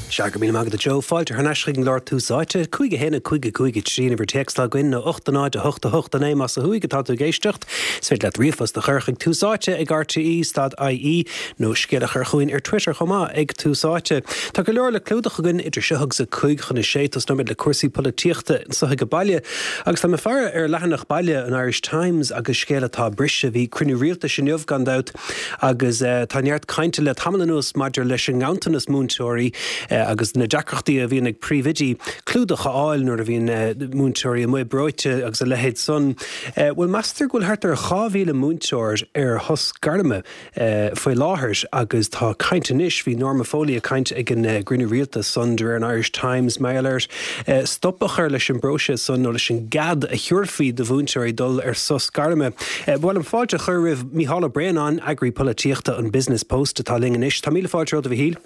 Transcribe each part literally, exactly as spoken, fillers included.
Sea, go raibh míle maith agat a Joe. Fáilte thar n-ais chuig an gclár Tús Áite, cúig a haon a cúig a cúig a trí an uimhir téacs atá againn nó ocht a náid a hocht a hocht a naoi más ó thuaidh atá tú ag éisteacht. Is féidir leat ríomhphost a chur chuig Tús Áite ag R T E stad I E nó scéal a chur chugainn ar Twitter chomh maith ag Tús Áite. Tá go leor le clúdach againn idir seo agus a cúig chun a sé. Tosnóimid le cúrsaí polaitíochta anseo ag baile agus tá mé ag faire ar leathanach baile an Irish Times agus scéal atá briseadh. Bhí cruinniú rialtais inniu gan dabht agus uh, tá neart cainte le tamall anuas maidir leis an nganntanas múinteoirí uh, agus na deacrachtaí a bhíonn ag príomhoidí clúdach a fháil nuair a bhíonn uh, múinteoirí amuigh breoite agus a leithéid san. Uh, Bhuel, meastar go bhfuil thart ar dhá mhíle múinteoir ar shos gairme uh, faoi láthair agus tá caint anois. Bhí Norma Foley ag caint ag an uh, gcruinniú rialtais san de réir an Irish Times maidir le uh, stop a chur leis an bpróiseas san nó leis an gcead a thabharfaí do mhúinteoirí dul ar sos gairme. Uh, Bhuel, an fáilte a chur roimh Mícheál Ó Braonáin, eagraí polaitíochta an Business Post, atá linn anois. Tá míle fáilte romhat, a Mhíchíl.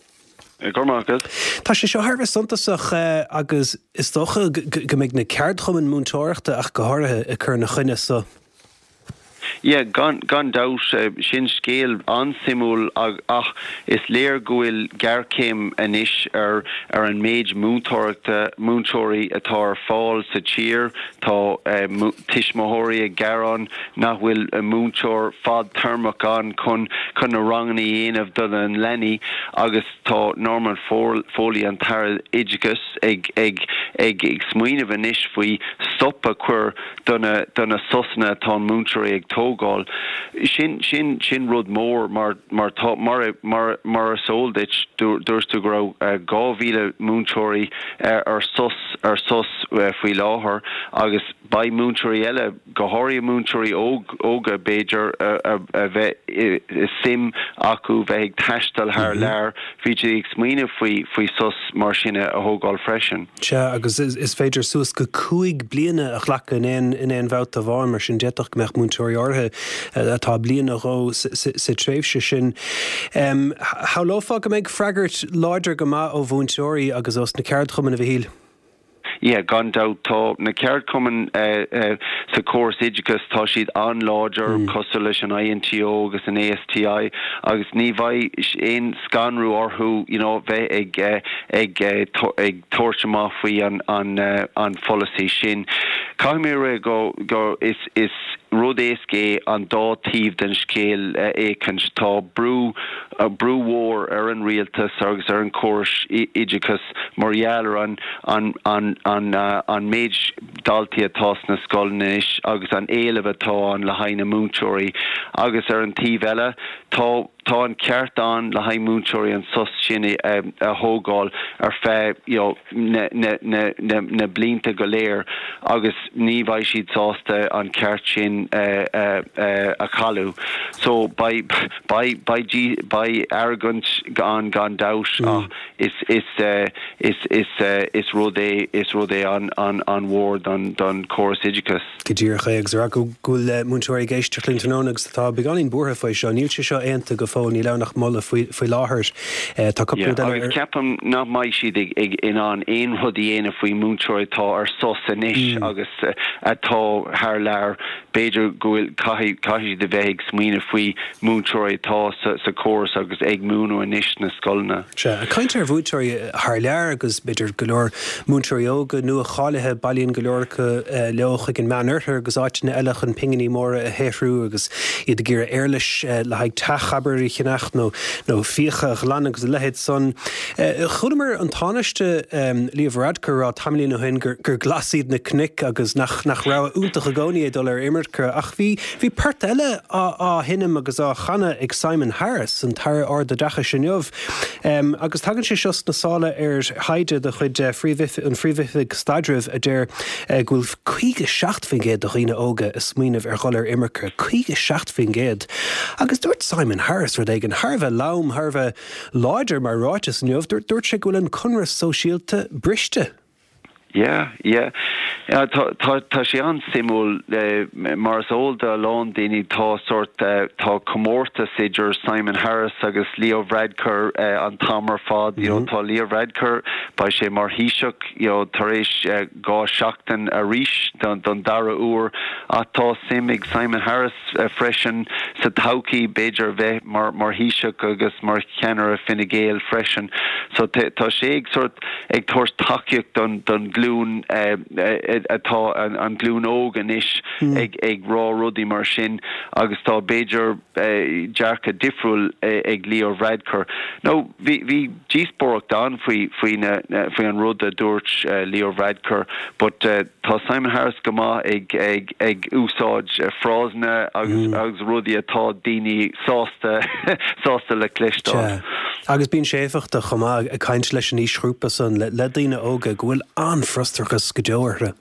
Gormágad. Tá sé seo thar bheith suntasach uh, agus is dócha go mbeidh na ceardchumainn múinteoireachta ach go háirithe ag cur ina choinne so. Yeah, gan gan dabht, uh, sin scéal an-suimiúil, ach is léir go bhfuil géarchéim anois ar ar an méid múinteoireachta múinteoirí atá ar fáil sa tír. Tá uh, tuismitheoirí ag gearán nach bhfuil a múinteoir fadtéarmach ann chun chun na ranganna a dhéanamh do na leanaí, agus tá Norman Foley, an tAire Oideachais, ag ag ag ag smaoineamh anois faoi stop a chur do na do na sosanna atá múinteoirí ag tógáil. Sin sin sin rud mór mar mar tá mar mar mar is eol duit, dúirt tú go raibh uh, dhá mhíle múinteoirí uh, ar sos ar sos uh, faoi láthair, agus beidh múinteoirí eile, go háirithe múinteoirí óga b'fhéidir, a bheith suim acu bheith ag taisteal thar mm -hmm. lear, bhí ag smaoineamh faoi faoi sos mar sin a thógáil freisin. Sea, agus is, is féidir suas go cúig bliana a ghlacadh in aon in aon bhabhta amháin. Mar sin d'fhéadfadh go mbeadh múinteoirí áirithe atá bliain nó dhó sa tréimhse sin. Um, Shamhlófá go mbeidh freagairt láidir go maith ó mhúinteoirí agus ó na ceardchumainn, a Mhíchíl. Yeah, gan dabht, tá na ceardchumainn uh, uh, sa chóras oideachais, tá siad an-láidir, mm. cosúil leis an I N T O agus an A S T I, agus ní bheidh aon scanrú orthu you know, bheith ag uh, ag uh, ag tabhairt amach faoi an an uh, an pholasaí sin. Caithfidh mé rá go go is is rud éasca é an dá taobh den scéal féachaint. Tá brú uh, brú mhór ar an rialtas agus ar an córas oideachais mar gheall ar an an an an uh, an méid daltaí atá sna scoileanna agus an éileamh atá ann le haghaidh na múinteoirí, agus ar an taobh eile tá tá an ceart ann le haghaidh múinteoirí an sos sin a, a thógáil ar feadh you know, na, na, na, na, na blianta go léir, agus ní bheidh siad sásta an ceart sin uh, uh, uh, a chailleadh. So beidh beidh beidh beidh argóint ann gan dabht, mm. ach is is uh, is is uh, is rud é is rud é an an an mhór don don chóras oideachais. Go díreach, agus ar go bhfuil múinteoirí ag éisteacht linn tráthnóna agus atá beagáinín buartha faoi seo, níl sé seo aontaithe go fóill, níl ann ach moladh faoi láthair. Tá Ceapaim nach mbeidh siad ag in ann aon rud a dhéanamh faoi múinteoirí atá ar sos anois mm. agus atá thar lear. B'fhéidir go bhfuil caithfidh de bheith ag smaoineamh faoi múinteoirí atá sa, sa chóras agus ag múineadh anois sna scoileanna. Sea, caint ar mhúinteoirí thar lear agus b'fhéidir go leor múinteoirí óga nua-cháilithe, bailíonn go leor acu leo chuig an Meánoirthear agus áiteanna eile chun pinginí móra a shaothrú agus iad ag iarraidh éarlais le haghaidh teach a cheannach nó nó fiacha a ghlanadh agus a leithéid san. Chualamar an Tánaiste um, Leo Varadkar rá tamaillín ó shin gur, gur glas iad na cnoic agus nach nach rogha iontach i gcónaí é dul ar imirce, ach bhí bhí port eile á, á sheinm agus á chanadh ag Simon Harris, an tAire Ardoideachais, inniu. Um, agus tagann sé seo sna sála ar thaighde de chuid uh, an Phríomh-Oifig Staidrimh a deir uh, go bhfuil caoga seacht faoin gcéad de dhaoine óga ag smaoineamh ar dhul ar imirce, caoga seacht faoin gcéad. Agus dúirt Simon Harris rud éigin thar a bheith lom, thar a bheith láidir mar ráiteas inniu. Dúirt sé go bhfuil an conradh sóisialta briste. Yeah, yeah. Yeah, tá tá tá sé an-suimiúil eh, mar is eol do a lán daoine tá sort eh, tá comórtas idir Simon Harris agus Leo Varadkar eh, an t-am ar fad you know, mm -hmm. tá Leo Varadkar beidh sé mar Thaoiseach you know, tar éis eh, dhá seachtain arís don, don dara huair ach tá suim ag Simon Harris eh, freisin sa todhchaí b'fhéidir bheith mar mar Thaoiseach agus mar cheannaire Fine Gael freisin so tá sé ag sort ag tabhairt tacaíocht don don ghlúin eh, eh, atá an, an glúin óg anois mm. ag ag rá rudaí mar sin agus tá b'fhéidir eh, dearcadh difriúil eh, ag Leo Varadkar. No bhí bhí díospóireacht ann faoi faoi faoi an rud a dúirt uh, Leo Varadkar, but uh, tá Simon Harris go maith ag ag ag úsáid uh, frásanna agus mm. agus rudaí atá daoine sásta sásta le cloisteáil. Agus bíonn sé éifeachtach chomh maith ag caint leis an aoisghrúpa san le, le daoine óga go bhfuil an-fhrustrachas go deo orthu.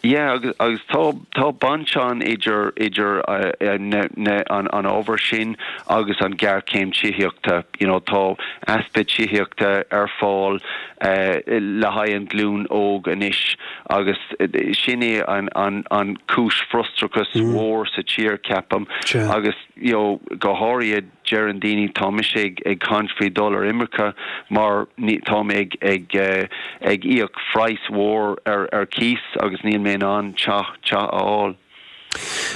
Yeah, agus, agus tá tá baint ann idir idir uh, uh, na, na, an, an ábhar sin agus an ghéarchéim tithíochta you know, tá easpa tithíochta ar fáil uh, le haghaidh an glúin óg anois agus sin é an, an, an cúis frustrachas mm. mhór sa tír ceapaim agus you know, go háirithe deireann daoine tá mise ag ag caint faoi dul ar imirce mar tá ag ag uh, ag íoc praghas mhór ar ar cíos agus níl mé in ann teach teach a fháil.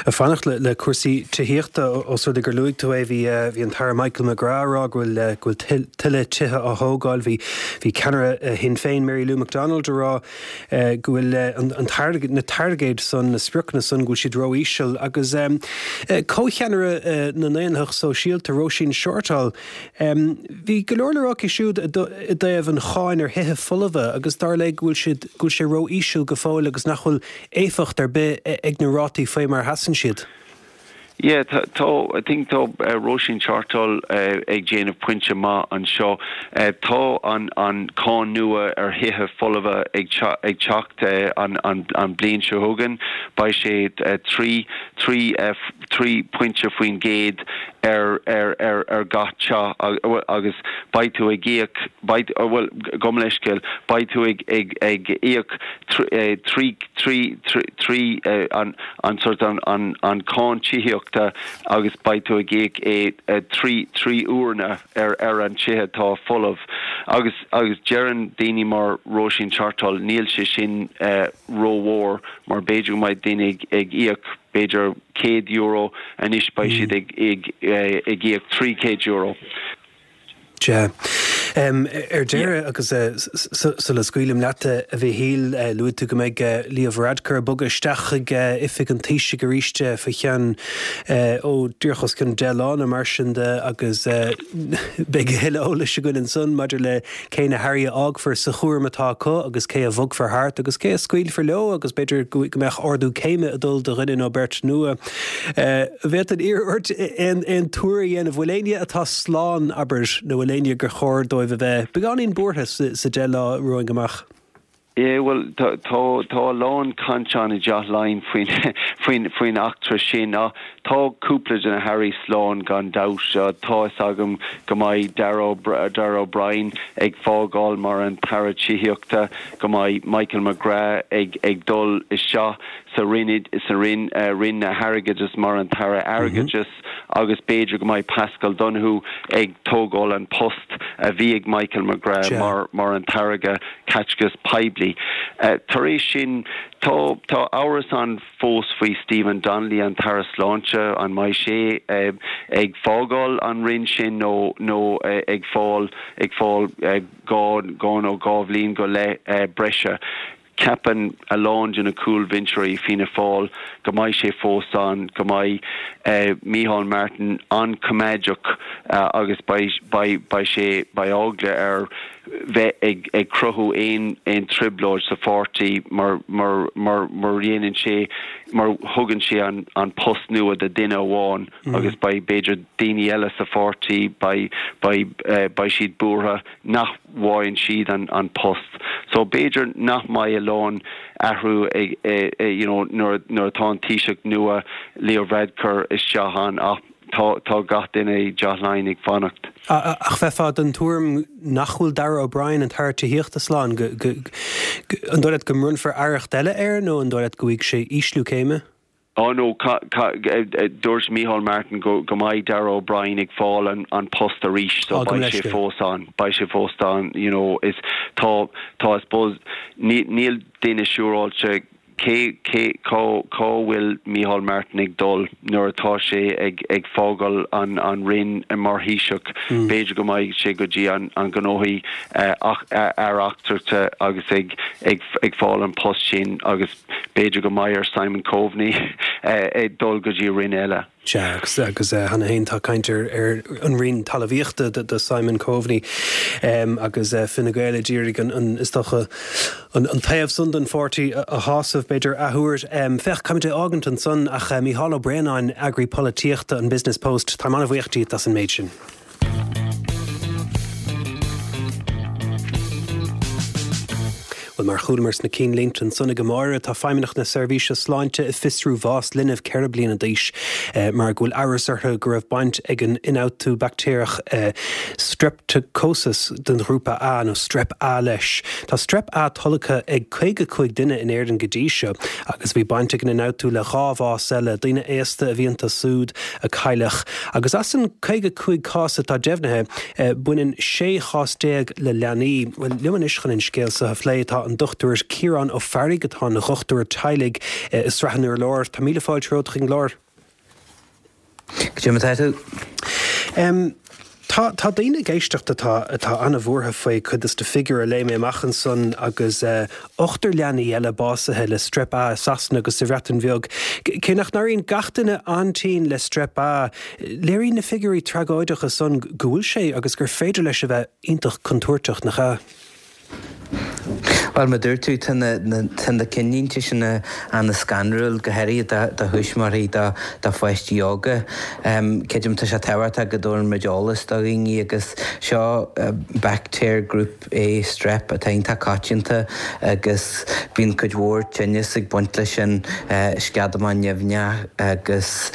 Ag fanacht le, le cúrsaí tithíochta os rud gur luaigh tú é bhí bhí an tAire Michael McGrath rá go bhfuil go bhfuil tuilleadh tithe á thógáil bhí bhí ceannaire Shinn Féin Mary Lou McDonald a rá go bhfuil an, an target, na targaid san na spriocanna san go bhfuil siad ró-íseal agus um, comhcheannaire na nDaonlathach Sóisialta Róisín Shortall um, bhí go leor le rá aici siúd i dtaobh an cháin ar thithe folmha agus dar léi go bhfuil siad go bhfuil sé ró-íseal go fóill agus nach bhfuil éifeacht ar bith ag na rátaí faoi mar sheasann siad. Yeah, tá I think tá uh, Róisín Shortall uh, ag déanamh pointe maith anseo. Uh, tá an an cáin nua ar thithe folmha ag ag teacht uh, an, an, an bliain seo chugainn, beidh sé uh, trí trí uh, trí pointe faoin gcéad ar ar ar ar gach teach agus beidh tú ag íoc bhfuil gom leiscéil beidh tú ag ag ag íoc trí trí trí an an sort an an an cáin tithíochta agus beidh tú ag íoc é trí trí huaire ar ar an teach atá folamh agus agus deireann daoine mar Róisín Shortall níl sé sin uh, rómhór mar b'fhéidir go mbeidh daoine ag, ag íoc b'fhéidir céad euro anois beidh siad ag ag ag íoc trí chéad euro. Ja. Um, ar deireadh agus uh, sula scaoilim leat a Mhichíl uh, luaigh tú go mbeidh uh, Leo Varadkar bogadh isteach ag uh, oifig an Taoisigh arís faoi cheann uh, ó díreach os cionn deich lá mar sin de agus uh, beidh tuilleadh eolais againn ansan maidir le cé na hairí a fhágfar sa chúram atá acu agus cé a bhogfar thart agus cé a scaoilfear leo agus b'fhéidir go mbeidh ardú céime ag dul do dhuine nó beirt nua. Uh, Bheadh an iarracht aon aon tuar a dhéanamh bhfuil éinne atá slán abair nó bhfuil éinne gur chóir dóibh a bheith beagáinín buartha sa deich lá romhainn amach. É well tá tá lán cainte i dTeach Laighean faoin faoin faoin eachtra sin ná tá cúpla de na hairí slán gan dabht tá agam go mbeidh Darragh O'Brien ag fágáil mar an tAire Tithíochta go mbeidh Michael McGrath ag ag dul isteach sa Roinn sa Roinn uh, Roinn na hAirgeadais mar an tAire Airgeadais mm -hmm. agus b'fhéidir go mbeidh Paschal Donohoe ag tógáil an post a bhí ag Michael McGrath mar mar an tAire Caiteachais Poiblí. Uh, tar éis sin tá tá amhras ann fós faoi Stephen Donnelly an tAire Sláinte an mbeidh sé uh, ag fágáil an roinn sin nó nó uh, ag fáil ag fáil uh, dhá dhá nó dhá bhliain go leith uh, breise. Ceapann a lán de na cúlbhinseoirí Fianna Fáil go mbeidh sé fós ann go mbeidh uh, Micheál Martin an-choimeádach uh, agus beidh sé beidh eagla air bheith ag, ag cruthú aon aon trioblóid sa pháirtí mar mar mar mar dhéanann sé mar thugann sé an, an post nua do duine amháin mm. agus beidh b'fhéidir daoine eile sa pháirtí beidh beidh uh, beidh siad buartha nach bhfaigheann siad an, an post. So b'fhéidir nach mbeidh a lán athrú ag eh, eh, you know, nuair nuair atá an Taoiseach nua Leo Varadkar isteach ann ach tá tá gach duine i dTeach Laighean ag fanacht. Ach bheifeá den tuairim nach bhfuil Darragh O'Brien an tAire Tithíochta slán go An dóigh leat go mbronnfar aireacht eile air nó an dóigh leat go bhfaighidh sé ísliú céime? Oh no, dúirt Micheál Martin go go mbeidh Darragh O'Brien ag fáil an, an post arís so beidh sé fós ann, beidh sé fós ann, you know, is tá tá I suppose níl duine siúráilte cé cé cá cá bhfuil Micheál Martin ag dul nuair atá sé ag ag fágáil an an Roinn mar Thaoiseach mm. b'fhéidir go mbeidh sé go dtí an an gnóthaí uh, aire eachtracha agus ag ag ag fáil an post sin agus b'fhéidir go mbeidh ar Simon Coveney uh, ag dul go dtí roinn eile. Sea agus agus uh, cheana féin tá caint ar ar an Roinn Talmhaíochta do, do Simon Coveney um, agus uh, Fine Gael ag iarraidh an, an is dócha an, an taobh san den pháirtí a, a shásamh b'fhéidir athuair. Um, Féach caithfimid é fhágaint ansan ach uh, Mícheál Ó Braonáin eagraí polaitíochta an Business Post Tá an-bhuíoch díot as an méid sin. Bhuel mar chualamar sna cinnlínte ansan ag Máire tá Feidhmeannacht na Seirbhíse Sláinte ag fiosrú bhás linbh ceithre bliana d'aois eh, mar go bhfuil amhras orthu go raibh baint ag an ionfhabhtú baictéarach eh, Streptococcus den ghrúpa A nó Strep A leis. Tá Strep A tolgtha ag caoga cúig duine in Éirinn go dtí seo agus bhí baint ag an ionfhabhtú le dhá bhás eile, daoine aosta a bhí iontu siúd a cailleadh. Agus as an caoga cúig cás atá deimhnithe, eh, baineann sé chás déag le leanaí. Bhuel liom anois chun an scéal seo a phlé tá an Dochtúir Ciarán Ó Fearraigh atá ina dhochtúir teaghlaigh i Srath an Urláir. Tá míle fáilte romhat chuig an gclár. Go dtí tá tú? Um, Tá tá daoine ag éisteacht atá atá an-bhuartha faoi cuid de na figiúirí a léigh mé amach ansan agus uh, ochtar leanaí eile básaithe le strep A i Sasana agus sa Bhreatain Bheag. Cé nach n-éiríonn gach duine an-tinn le strep A, léiríonn na figiúirí tragóideacha san go bhfuil sé agus gur féidir leis a bheith iontach contúirteach nach ea? Bhuel, mar dúirt tú, tá na tá na cinnlínte sin an-scanrúil, go háirithe do thuismitheoirí do do pháistí óga. Creidim tá sé tábhachtach go dtabharann muid eolas do dhaoine agus seo baictéar Group A Strep atá iontach coitianta agus bíonn cuid mhór tinneas ag baint leis sin, sceadamán nimhneach agus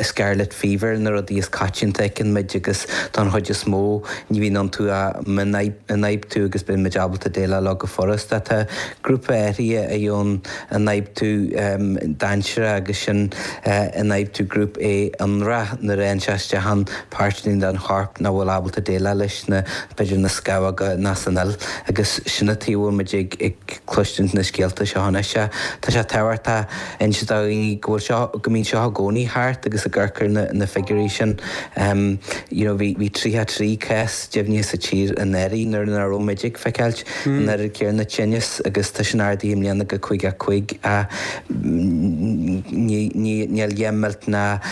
scarlet fever na rudaí is coitianta a fheiceann muid agus don chuid is mó ní bhíonn iontu ach mionfhabhtú agus bíonn muid ábalta déileáil leo go furasta. Tá grúpa áirithe a gheobhann ionfhabhtú dainséarach agus sin ionfhabhtú Group A ionrach nuair a théann sé isteach in páirteanna den chorp nach bhfuil ábalta déileáil leis na b'fhéidir na scamhóga ná san fhuil agus sin an tuige a bhfuil muid ag ag cloistint na scéalta seo anois. Tá sé tábhachtach inse do dhaoine go bhfuil seo go mbíonn seo i gcónaí thart agus ag amharc ar na na figiúirí sin you know bhí bhí tríocha trí cás deimhnithe sa tír anuraidh nuair nach raibh muid ag feiceáilt an oiread céanna tinnis agus tá sin ardaithe i mbliana go caoga cúig ach níl a dhath millteanach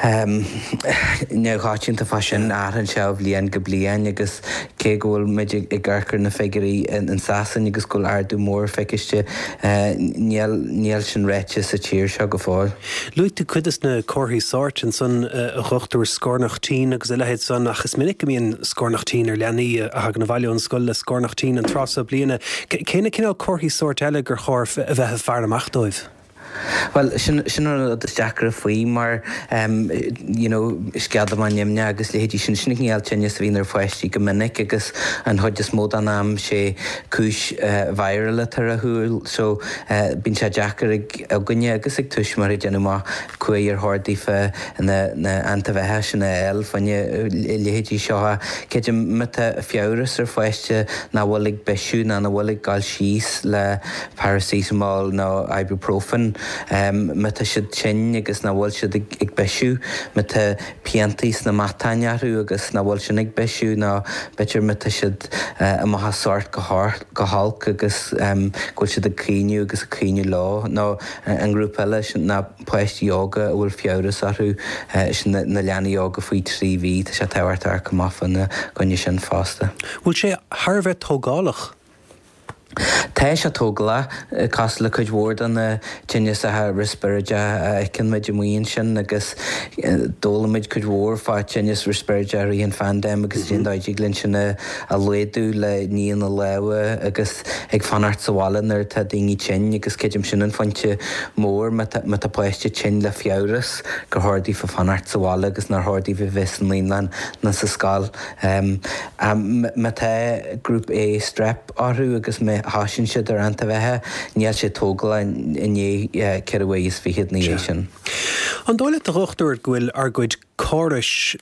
neamhchoitianta fá sin, athraíonn sé ó bhliain go bliain agus cé go bhfuil muid ag amharc ar na figiúirí in Sasain agus go bhfuil ardú mór feiciste, níl sin ráite sa tír seo go fóill. Luaigh tú cuid de na comharthaí sóirt ansan, a dhochtúir, scornach tinn agus a leithéid san, ach is minic go mbíonn scornach tinn ar leanaí a thagann abhaile ón scoil le scornach tinn an tráth seo bliana. Cé na cineál comharthaí sóirt eile gur chóir a bheith ag faire amach dóibh? Bhuel, sin sin an rud is deacra faoi mar you know sceadamán nimhneach agus leithéidí sin, sin an cineál tinneas a bhíonn ar pháistí go minic agus an chuid is mó den am sé cúis viral atá ar a chúl so bíonn sé deacair ag againne agus ag tuismitheoirí déanamh amach cá huair ar chóir daofa na na antaibheatha sin a fháil fá choinne leithéidí seo. Creidim má tá fiabhras ar pháiste nach bhfuil ag bisiú ná nach bhfuil ag gabháil síos le paracetamol nó ibuprofen, má tá siad tinn agus nach bhfuil siad ag bisiú, má tá piantaí sna matáin orthu agus nach bhfuil sin ag bisiú nó b'fhéidir má tá siad amach as sort go holc agus go bhfuil siad ag caoineadh agus ag caoineadh leo nó an grúpa eile sin ná páistí óga a bhfuil fiabhras orthu, sin na leanaí óga faoi trí mhí, tá sé tábhachtach amharc amach fána gcoinne sin fosta. Bhfuil sé thar a bheith tógálach? Tá sé tógálach, cosúil le cuid mhór de na tinneasacha riospráide a fheiceann muid amuigh ansin agus d'fhoghlaim muid cuid mhór fá tinneas riospráide i rith an phaindéim agus cén dóigh a dtig linn sin a laghdú le ní na lámha agus ag fanacht sa bhaile nuair atá daoine tinn agus creidim sin an phointe mór má tá páiste tinn le fiabhras gur chóir daofa fanacht sa bhaile agus nár chóir daofa bheith sa naíolann ná sa scoil. Má tá Group A Strep orthu agus má thosaíonn siad ar antaibheatha, níl sé tógálach i ndiaidh ceithre mhí is fichead ina dhiaidh sin. An dóigh leat, a dhochtúir, go bhfuil ár gcuid córais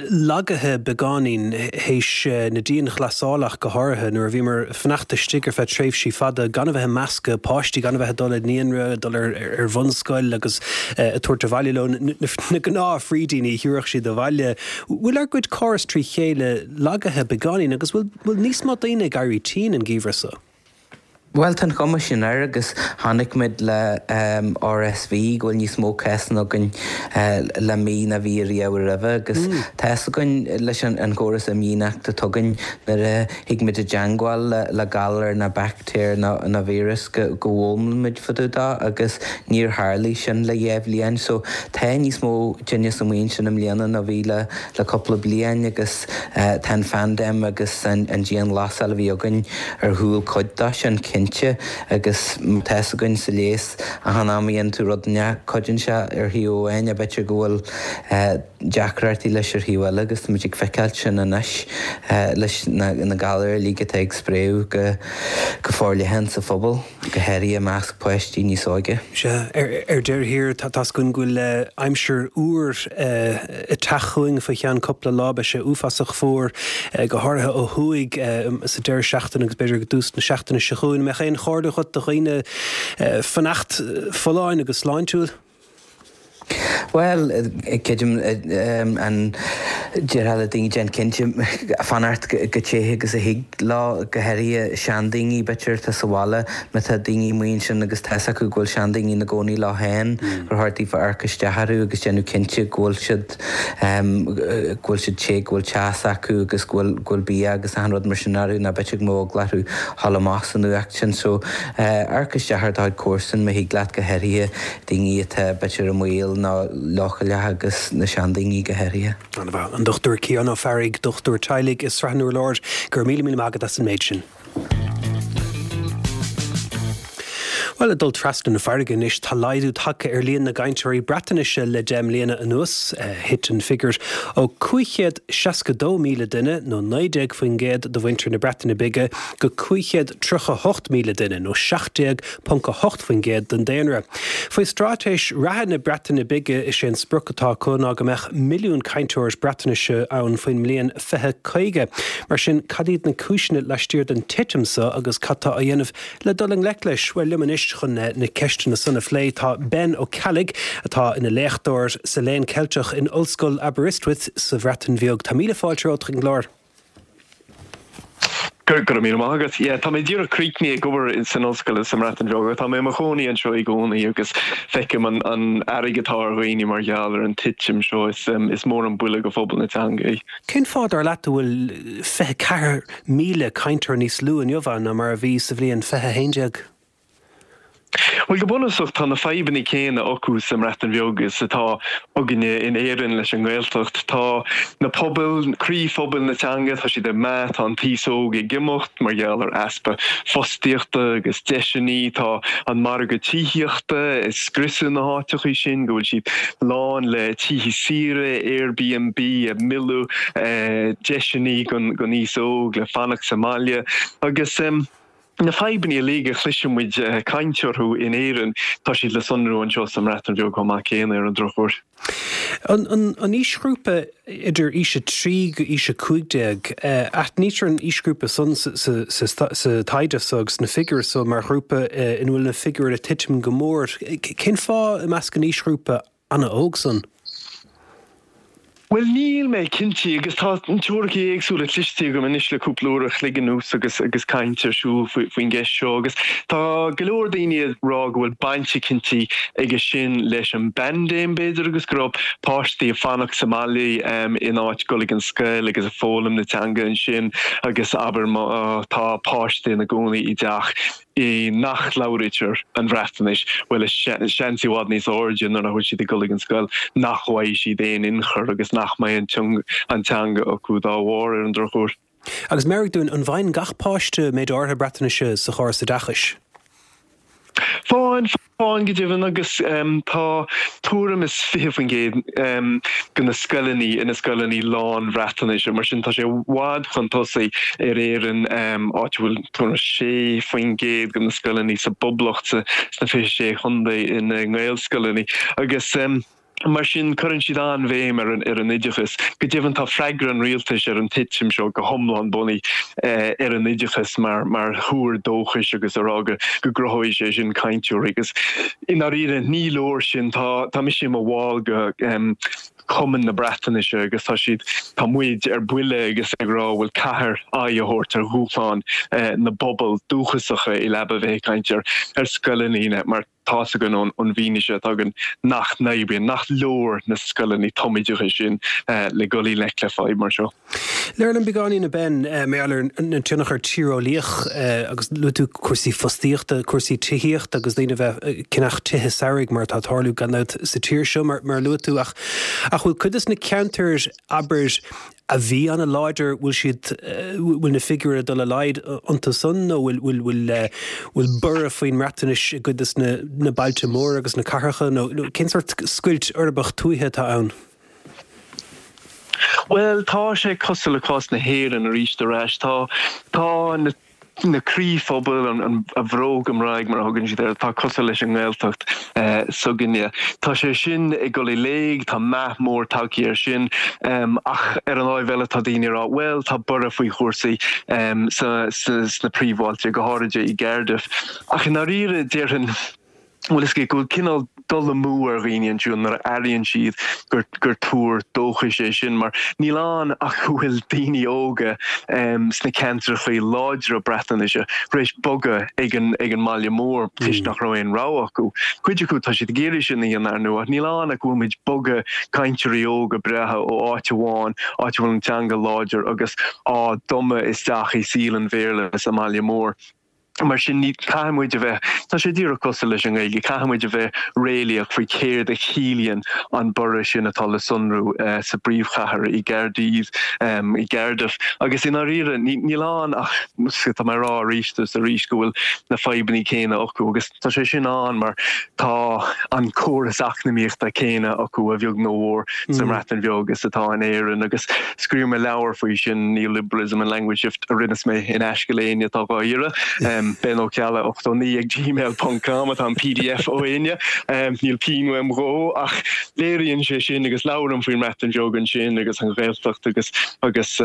lagaithe beagáinín théis na dianghlasála ach go háirithe nuair a bhíomar ag fanacht istigh ar feadh tréimhsí fada gan a bheith ag meascadh páistí, gan a bheith ag dul ag naíonra, ag dul ar bhunscoil agus ag tabhairt abhaile leo na gnáth-fhrídíní a thabharfadh siad abhaile. Bhfuil ár gcuid córas trí chéile lagaithe beagáinín agus bhfuil níos mó daoine ag éirí tinn an geimhreadh seo? Bhuel, tá an chuma sin air agus chonaic muid le R S V go bhfuil níos mó cásanna againn le mí ná bhí riamh roimhe agus tá fhios againn leis an chóras imdhíonachta atá againn nuair a thig muid i dteangmháil le galar ná baictéar ná víreas go bhfoghlaimíonn muid fá dtaobh dó agus níor tharlaigh sin le dhá bhliain. So tá níos mó tinneas amuigh ansin i mbliana ná bhí le le cúpla bliain agus tá an phaindéim agus an dianghlasáil a bhí againn ar chúl cuid dó sin cinnte. Agus tá fhios againn sa leigheas achan am a dhéanann tú rud inteacht cuidíonn sé ar thaobh amháin ach b'fhéidir go bhfuil deacrachtaí leis ar thaobh eile agus táimid ag feiceáil sin anois leis na galair uilig atá ag spréadh go go forleathan sa phobal, go háirithe i measc páistí níos óige. Sea, ar deireadh thiar tá fhios againn go bhfuil aimsir fhuar ag teacht chugainn faoi cheann cúpla lá, beidh sé uafásach fuar, go háirithe ó thuaidh sa deireadh seachtaine agus b'fhéidir go dtús na seachtaine seo chugainn. An mbeadh aon chomhairle agat do dhaoine fanacht folláin agus sláintiúil? Bhuel, creidim an déarfá le daoine déan cinnte fanacht chomh te agus a thig leo, go háirithe seandaoine b'fhéidir atá sa bhaile, má tá daoine amuigh ansin agus tá fhios acu go bhfuil seandaoine ina gcónaí leo féin, gur chóir daofa amharc isteach orthu agus déanamh cinnte go bhfuil siad go bhfuil siad te, go bhfuil teas acu agus go bhfuil go bhfuil bia agus achan rud mar sin orthu nó b'fhéidir go mbeadh eagla orthu dhul amach san fhuacht sin. So amharc isteach ar do chuid comharsan má thig leat, go háirithe daoine atá b'fhéidir i mbaol nó leochaileach agus na seandaoine go háirithe. An-mhaith. An Dochtúir Ciarán Ó Fearraigh, dochtúir teaghlaigh i Srath an Urláir, go raibh míle míle maith agat as an méid sin. Bhuel, ag dul trasna na farraige anois, tá laghdú tagtha ar líon na gcainteoirí Breatnaise le deich mbliana anuas. Thit an figiúr ó cúig chéad seasca dó míle duine, nó naoi déag faoin gcéad de mhuintir na Breataine Bige, go cúig chéad tríocha hocht míle duine, nó seacht déag ponc a hocht faoin gcéad den daonra. Faoi straitéis reatha na Breataine Bige, is é an sprioc atá acu ná go mbeadh milliún cainteoir Breatnaise ann faoin mbliain fiche caoga. Mar sin, cad iad na cúiseanna laistiar den titim seo agus cad tá á dhéanamh le dul i ngleic leis? Bhuel, liom anois chun na ceisteanna san a phlé tá Ben Ó Ceallaigh, atá ina léachtóir sa Léann Ceilteach in Ollscoil Aberystwyth sa Bhreatain Bheag. Tá míle fáilte romhat chuig an gclár. Go raibh míle maith agat. Yeah, tá mé díreach críochnaithe ag obair san ollscoil sa mBreatain Bheag. Tá mé i mo chónaí anseo i gcónaí agus feicim an an fhearg atá ar dhaoine mar gheall ar an titim seo. Is is mór an buille go phobal na teanga é. Cén fáth dar leat a bhfuil fiche ceathair míle cainteoir níos lú inniu ann ná mar a bhí sa bhliain fiche haon déag? Bhuel, go bunúsach tá na fadhbanna céanna acu sa mBreatain Bheag is atá againne in Éirinn leis an nGaeltacht. Tá na pobail, croíphobail na teanga, tá siad ag meath, tá an t-aos óg ag imeacht mar gheall ar easpa fostaíochta agus deiseanna, tá an margadh tithíochta ag scriosadh na háiteacha sin, go bhfuil siad lán le tithe saoire, Airbnb ag milleadh deiseanna don aos óg le fanacht sa mbaile agus. Na fadhbanna uilig a chloiseann muid caint orthu in Éirinn, tá siad le sonrú anseo sa mBreatain Bheag chomh maith céanna, ar an drochuair. An aoisghrúpa idir aois a trí go aois a cúig déag, aithnítear an aoisghrúpa san sa taighde so agus sna figiúir so mar ghrúpa ina bhfuil na figiúir ag titim go mór. Cén fáth i measc an aoisghrúpa an-óg san? Bhuel, níl mé cinnte, agus tá teoiricí éagsúla cloiste agam anois le cúpla uair a chloig anuas agus agus caint ar siúl faoin gceist seo, agus tá go leor daoine ag rá go bhfuil baint eicínt aige sin leis an bpaindéim, b'fhéidir, agus go raibh páistí ag fanacht sa mbaile in áit dul ag an scoil agus ag foghlaim na teanga ansin, agus abair má tá páiste ina gcónaí i dteach i nach labhraítear an Bhreatnais, bhuel, seans i bhfad níos airde nuair nach bhfuil siad ag dul ag an scoil nach bhfaighidh siad aon ionchur agus nach mbeidh an teanga acu dá bharr, ar an drochuair. Agus meabhraigh dúinn, an bhfaigheann gach páiste méid áirithe Breatnaise sa chóras oideachais? Fághann, fághann go deimhin agus tá tuairim is fiche faoin gcéad de na scoileanna ina scoileanna lán-Bhreatnaise, mar sin tá sé i bhfad chun tosaigh ar Éirinn, áit a bhfuil tuairim is sé faoin gcéad de na scoileanna sa bPoblacht sna fiche sé chontae ina nGaelscoileanna agus. Mar sin, cuireann siad an-bhéim ar an ar an oideachas. Go deimhin, tá freagra an rialtais ar an titim seo go hiomlán bunaithe ar an oideachas mar mar thuar dóchais agus a rá go go gcruthóidh sé sin cainteoirí. Agus i ndáiríre, ní leor sin. Tá tá mise i mo bhall de Chumann na Breatnaise agus tá siad, tá muid ar buile agus ag rá bhfuil caithfear aghaidh a thabhairt ar dhúshlán na bpobal dúchasacha i leaba bheith ag caint ar ar scoileanna mar tá's againn ón bhfianaise atá againn nach n-oibríonn, nach leor na scoileanna tumoideachais sin le dul i ngleic le fadhb mar seo. Labhair liom beagáinín, a Ben, mar gheall ar an tionchar tíreolaíoch agus luaigh tú cúrsaí fostaíochta, cúrsaí tithíochta agus daoine a bheith ag ceannach tithe samhraidh mar atá ag tarlú gan dabht sa tír seo mar a luaigh tú ach ach bhfuil cuid de na ceantair, abair, a bhí an-láidir, bhfuil siad, bhfuil na figiúirí ag dul i laghad iontu san nó bhfuil, bhfuil, bhfuil, bhfuil borradh faoin mBreatnais i gcuid de na, na bailte móra agus na cathracha nó, nó cén sórt scoilt uirbeach tuaithe atá ann? Bhuel, tá sé cosúil le cás na hÉireann arís ar ais. Tá, tá na. na croíphobail, an bhróg Gymraeg mar a thugann siad air, atá cosúil leis an nGaeltacht s'againne. Tá sé sin ag dul i léig, tá meath mór tagtha air sin ach ar an láimh eile tá daoine ag rá bhuel tá borradh faoi chúrsaí sna príomhbhailte, go háirid i gCardiff. Ach i ndáiríre déarfainn, bhfuil fhios agat go bhfuil cineál dul amú ar dhaoine ansiúd nuair a airíonn siad gur gur tuar dóchais é sin mar níl ann ach go bhfuil daoine óga sna ceantracha láidre Breatnaise tar éis bogadh ag an ag an mbaile mór toisc nach raibh aon rogha acu. Cuid acu tá siad ag iarraidh sin a dhéanamh ar ndóigh ach níl ann ach go bhfuil muid ag bogadh cainteoirí óga breátha ó áit amháin, áit a bhfuil an teanga láidir agus á dtumadh isteach i saol an Bhéarla sa mbaile mór. Mar sin, ní, caithfidh muid a bheith, tá sé díreach cosúil leis an nGaeilge, caithfidh muid a bheith réalaíoch faoi céard a chiallaíonn an borradh sin atá le sonrú sa bpríomhchathair, i gCaerdydd, i gCardiff. Agus i ndáiríre, níl ann ach, tá mé ag rá arís is arís go bhfuil na fadhbanna céanna acu agus tá sé sin ann mar tá an córas eacnamaíochta céanna acu a bheag nó a mhór sa mBreatain Bheag is atá in Éirinn agus scríobh mé leabhar faoi sin, Neoliberalism and Language Shift, a roinnfidh mé in aisce le éinne atá dhá iarraidh. Ben Ó Ceallaigh ochtó naoi ag gmail ponc com atá an pdf ó éinne. Níl pingin uaim dhó ach léiríonn sé sin agus labhraím faoin mBreatain Bheag ansin agus an Ghaeltacht agus agus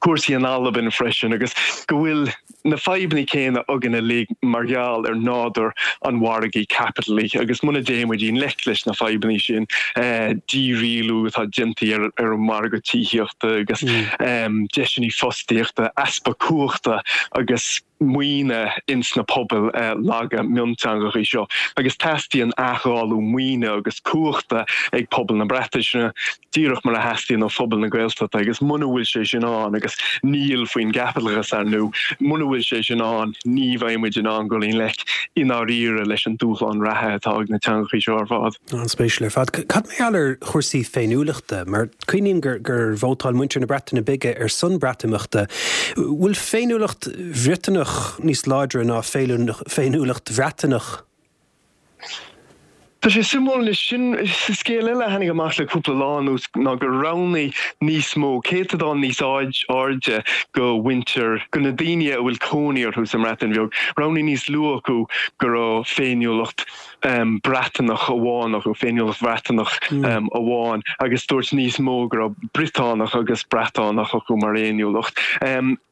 cúrsaí in Albain freisin agus go bhfuil na fadhbanna céanna againn uilig mar gheall ar nádúr an mhargaidh chaipitiligh agus muna dtéann muid i ngleic leis na fadhbanna sin, dírialú atá déanta ar ar an margadh tithíochta agus deiseanna fostaíochta, easpa cumhachta agus maoine ins na pobail laga mionteangacha seo agus teastaíonn athdháileadh maoine agus cumhachta ag pobal na Breataise díreach mar a theastaíonn ó phobal na Gaeltachta agus muna bhfuil sé sin ann, agus níl faoin gcaipitleachas ar ndóigh, muna bhfuil sé sin ann ní bheidh muid in ann dul i ngleic i ndáiríre leis an dúshlán reatha atá ag na teangacha seo ar fad. An-spéisiúil ar fad. Cad mar gheall ar chúrsaí féiniúlachta? Mar cuimhním gur gur vótáil muintir na Breataine Bige ar son Breatimeachta. Bhfuil féiniúlacht Bhriotanach níos láidre ná féiniúlacht Bhreatanach? Tá sé suimiúil anois. Sin scéal eile a tháinig amach le cúpla lá anuas ná gur roghnaigh níos mó, céatadán níos airde de mhuintir, de na daoine a bhfuil cónaí orthu sa mBreatain Bheag, roghnaigh níos lú acu go raibh féiniúlacht Breatanach amháin acu, féiniúlacht Bhreatanach amháin, agus dúirt níos mó go raibh Briotánach agus Breatánach acu mar fhéiniúlacht.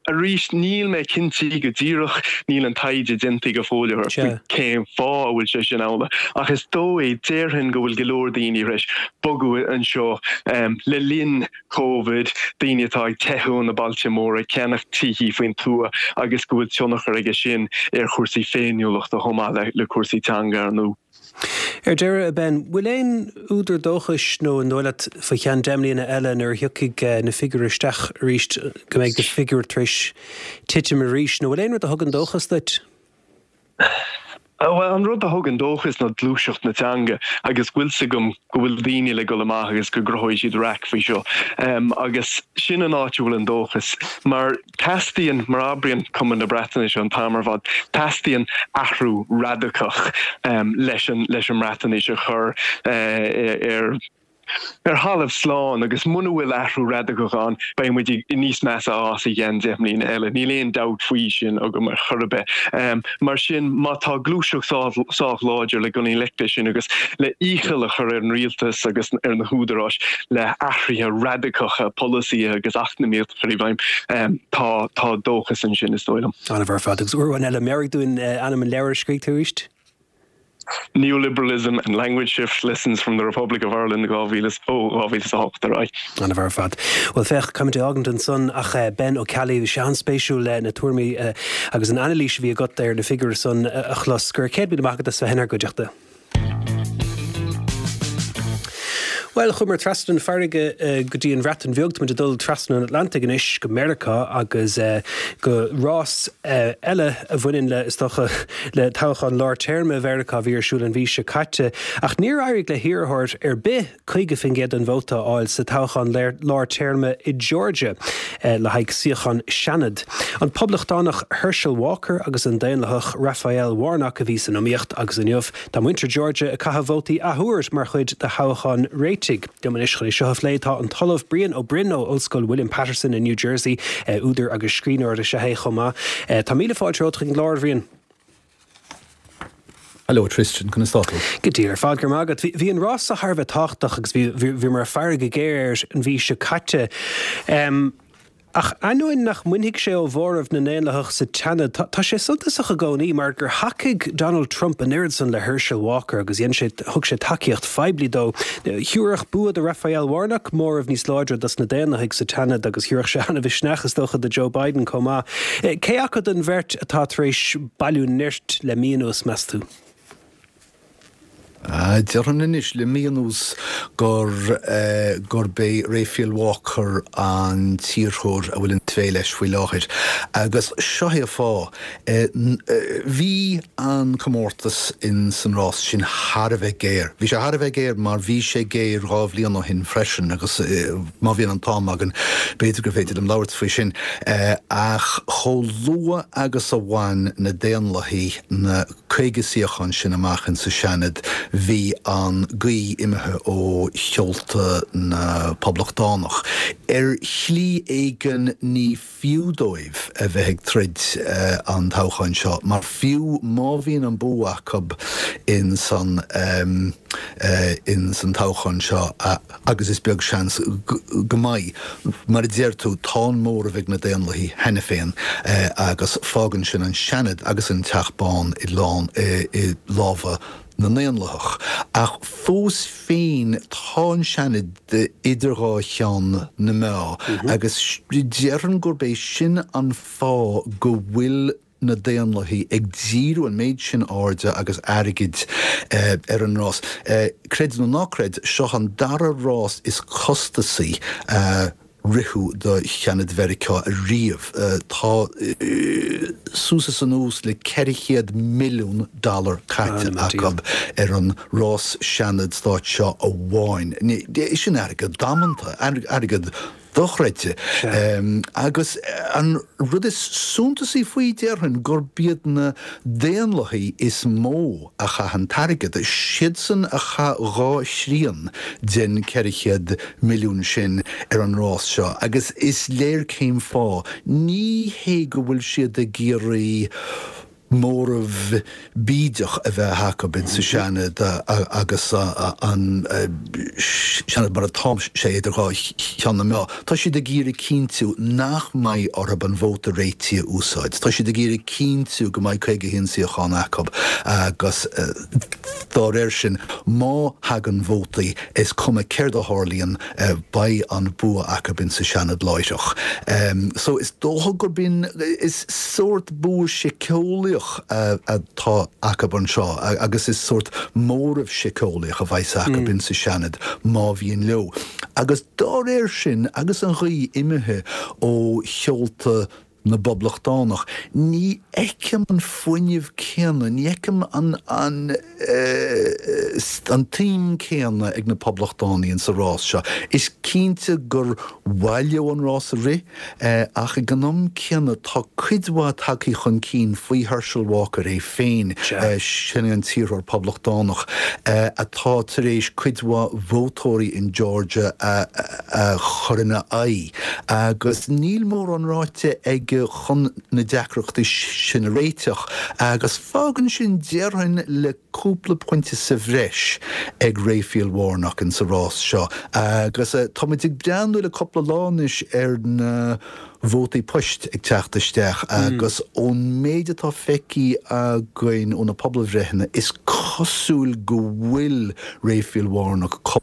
Arís, níl mé cinnte go díreach, níl an taighde déanta go fóill ar faoi cén fáth a bhfuil sé sin amhlaidh, ach is dóigh, déarfainn go bhfuil go leor daoine tar éis bogadh anseo le linn Covid, daoine atá ag teitheadh ó na bailte móra, ag ceannach tithí faoin tuath agus go bhfuil tionchar aige sin ar chúrsaí féiniúlachta chomh maith le cúrsaí teanga, ar ndóigh. Ar deireadh, a Ben, bhfuil aon údar dóchais nó an dóigh leat faoi cheann deich mbliana eile nuair a thiocfaidh na figiúirí isteach arís go mbeidh na figiúirí tar éis titim arís nó bhfuil aon rud a thugann dóchas duit? Bhuel, an rud a thugann dóchas ná gluaiseacht na teanga agus go bhfuil fhios agam go bhfuil daoine le dul amach agus go gcruthóidh siad raic faoi seo. Agus sin an áit a bhfuil an dóchas, mar teastaíonn, mar a abraíonn Cumann na Breatnaise an t-am ar fad, teastaíonn athrú radacach leis an leis an mBreatnais a chur ar ar thalamh slán agus muna bhfuil athrú radacach ann, beidh muid níos measa as i gceann deich mbliana eile. Níl aon dabht faoi sin agam ar chor ar bith. Mar sin, má tá gluaiseacht sách láidir le dul i ngleic leis sin agus le iachall a chur ar an rialtas agus ar na húdaráis le hathruithe radacacha polasaithe agus eacnamaíochta a chur i bhfeidhm, tá tá dóchas ansin, is dóigh liom. An-mhaith ar fad. Agus uair amháin eile, meabhraigh dúinn ainm an leabhair a scrígh tú arís? Neoliberalism and Language Shift, Lessons from the Republic of Ireland dhá mhíle ó dhá mhíle is a hocht ar aghaidh. An-mhaith ar fad. Bhuel féach, caithfidh muid é a fhágaint ansan ach Ben Ó Ceallaigh, bhí sé an-spéisiúil na tuairimí agus an anailís a bhí agat ar na figiúirí san a chlos. Go raibh céad míle maith agat as bheith inár gcuideachta. Bhuel, chuamar trasna an farraige go dtí an Bhreatain Bheag, táimid ag dul trasna an Atlantaigh anois go Meiriceá agus go rás eile a bhaineann le, is dócha, le toghchán lár téarma Mheiriceá a bhí ar siúl an mhí seo caite. Ach níor éirigh le hiarrthóir ar bith caoga faoin gcéad den vóta a fháil sa toghchán lár téarma i Georgia le haghaidh suíochán Seanaid. An Poblachtánach Herschel Walker agus an Daonlathach Raphael Warnock a bhí san iomaíocht agus inniu tá muintir Georgia ag caitheamh vótaí athuair mar chuid de thoghchán réitigh. Liom anois chun é seo a phlé tá an tOllamh Brian Ó Broin ó Ollscoil William Paterson i New Jersey, údar agus scríbhneoir is ea é chomh maith. Tá míle fáilte romhat chuig an gclár, a Bhriain. Hello Tristan, conas tá tú? Go diail ar fad, go raibh maith agat. Bhí an rás seo thar a bheith tábhachtach agus bhíomar ag faire go géar air an mhí seo caite. Ach ainneoin nach mbainfidh sé ó mhóramh na nDaonlathach sa tSeanad, tá sé suntasach i gcónaí mar gur thacaigh Donald Trump an oiread san le Herschel Walker agus dhein sé, thug sé tacaíocht phoiblí dó. Thabharfadh bua do Raphael Warnock móramh níos láidre dos na Daonlathaigh sa tSeanad agus thabharfadh sé an-mhisneach is dócha do Joe Biden chomh maith. Cé acu den bheirt atá tar éis bailiú nirt le mí anuas, meas tú? Déarfainn anois le mí anuas gur gurb é Raphael Walker an t-iarrthóir a bhfuil an tslí leis faoi láthair. Agus seo é an fáth. Bhí an comórtas in san rás sin thar a bheith géar. Bhí sé thar a bheith géar mar bhí sé géar dhá bhliain ó shin freisin agus má bhíonn an t-am againn b'fhéidir gur féidir liom labhairt faoi sin. Ach chomh luath agus a bhain na Daonlathaigh na caoga suíochán sin amach in sa Seanad, bhí an ghaoth imithe ó sheolta na bPoblachtánach. Ar shlí éigin ní fiú dóibh a bheith ag troid an toghchán seo, mar fiú má bhíonn an bua acu in san in san toghchán seo, agus is beag seans go mbeidh, mar a deir tú, tá an móramh ag na Daonlathaigh cheana féin agus fágann sin an Seanad agus an Teach Bán i lán i lámha na nDaonlathach. Ach fós féin tá an Seanad idir dhá cheann na meá agus déarfainn gurb é sin an fáth go bhfuil na Daonlathaigh ag díriú an méid sin airde agus airgid ar an rás. Creid nó ná creid, seo an dara rás is costasaí a ritheadh do Sheanad Mheiriceá riamh. Tá suas is anuas le ceithre chéad milliún dollar caite acu ar an rás Seanad stáit seo amháin. Sin airgead damanta, airgead dochreidte. Agus an rud is suntasaí faoi, déarfainn, gurb iad na Daonlathaigh is mó a chaith an t-airgead. Siadsan a chaith dhá thrian den ceithre chéad milliún sin ar an rás seo agus is léir cén fáth. Ní hé go bhfuil siad ag iarraidh móramh bídeach a bheith acu insa Seanad agus an Seanad mar atá sé idir dhá cheann na meá. Tá siad ag iarraidh cinntiú nach mbeidh orthu an vóta réitigh a úsáid. Tá siad ag iarraidh cinntiú go mbeidh caoga a haon suíochán acu agus dá réir sin má thagann vótaí is cuma céard a tharlaíonn beidh an bua acu insa Seanad láithreach. So is dócha gurb in, is sórt bua síceolaíoch atá acu anseo agus is sórt móramh síceolaíoch a bheas acu insa Seanad má bhíonn leo. Agus dá réir sin, agus an ghaoth imithe ó sheolta na bPoblachtánach. Ní fheicim an fuinneamh céanna, ní fheicim an an an tsuim céanna ag na Poblachtánaigh insa rás seo. Is cinnte gur mhaith leo an rás a rith, ach ag an am céanna tá cuid mhaith tagtha chun cinn faoi Herschel Walker é féin, sin é an t-iarrthóir Poblachtánach atá tar éis cuid mhaith vótóirí in Georgia a chur ina aghaidh, agus níl mórán ráite aige chun na deacrachtaí sin a réiteach, agus fágann sin déarfainn le cúpla pointe sa bhreis ag Raphael Warnock insa rás seo. Agus táimid ag breathnú le cúpla lá anois ar na vótaí poist ag teacht isteach agus ón méid atá feicthe againn ó na pobalbhreitheanna is cosúil go bhfuil Raphael Warnock cúpla